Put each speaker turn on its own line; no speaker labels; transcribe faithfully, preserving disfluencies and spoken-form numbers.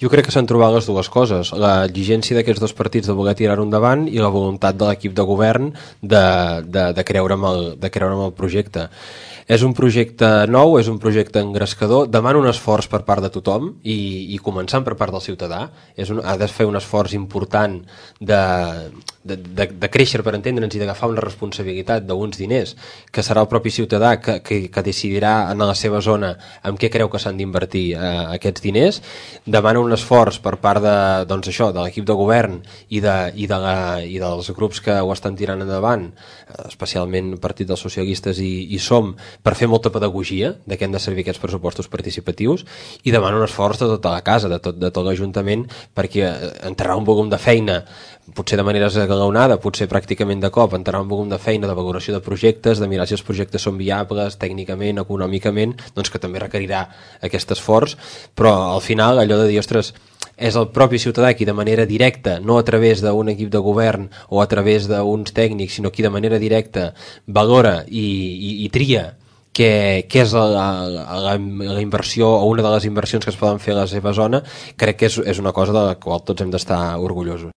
Jo crec que s'han trobat les dues coses, l'exigència d'aquests dos partits de voler tirar-ho endavant i la voluntat de l'equip de govern de, de, de, creure en el, de creure en el projecte. És un projecte nou, és un projecte engrescador, demana un esforç per part de tothom i, i començant per part del ciutadà. És un, ha de fer un esforç important de, de, de, de créixer, per entendre'ns, i d'agafar una responsabilitat d'uns diners, que serà el propi ciutadà que, que, que decidirà en la seva zona en què creu que s'han d'invertir eh, aquests diners. Demana un esforç per part de, doncs això, de l'equip de govern i, de, i, de la, i dels grups que ho estan tirant endavant, especialment el Partit dels Socialistes i, i Som, per fer molta pedagogia de què han de servir aquests pressupostos participatius, i demana un esforç de tota la casa, de tot, de tot l'Ajuntament, perquè entrarà un volum de feina, potser de manera esglaonada, potser pràcticament de cop, entrarà un volum de feina de valoració de projectes, de mirar si els projectes són viables tècnicament, econòmicament, doncs que també requerirà aquest esforç, però al final allò de dir, ostres, és el propi ciutadà qui de manera directa, no a través d'un equip de govern o a través d'uns tècnics, sinó qui de manera directa valora i, i, i tria què, què és la, la, la, la inversió o una de les inversions que es poden fer a la seva zona. Crec que és, és una cosa de la qual tots hem d'estar orgullosos.